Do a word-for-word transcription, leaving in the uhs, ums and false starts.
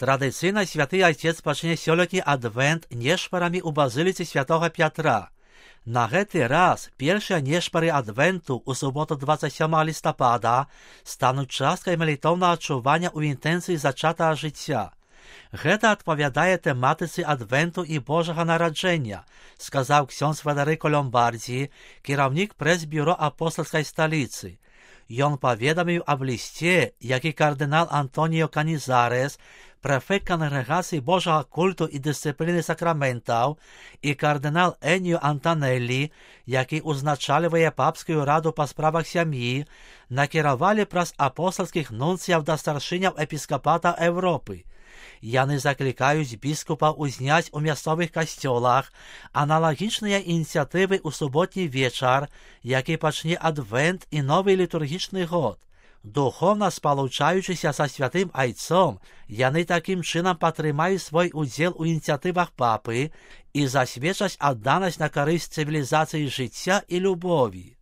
Традыцыйна святы айцец пачне сёлетні адвент нешпарамі ў базыліцы святога Пятра. На гэты раз першыя нешпары адвенту ў суботу двадцать сёмага лістапада стануць часткай малітоўнага адчування ў інтэнцыі зачатага жыцця. Гэта адпавядае тэматыцы адвенту і Божага нараджэння, сказаў ксёндз Федэрыко Ломбардзі, кіраўнік прэс-бюро апостальскай сталіцы. Ён паведаміў аб лісце, які кардынал Антоніо Канізарес, прэфект кангрэгацыі Божага культу і дысцыпліны сакраментаў, і кардынал Эніо Антанеллі, які ўзначальвае папскую раду па справах сям'і, накіравалі праз апостальскіх нунцыяў да старшыняў эпіскапата Еўропы. Яны заклікаюць біскупаў узняць у мясцовых касцёлах аналагічныя ініцыятывы ў суботні вечар, які пачне адвент і новы літургічны год. Духовна спалучаючыся са святым айцом, яны такім чынам падтрымаюць свой удзел у ініцыятывах папы і засведчаць адданасць на карысць цывілізацыі жыцця і любові.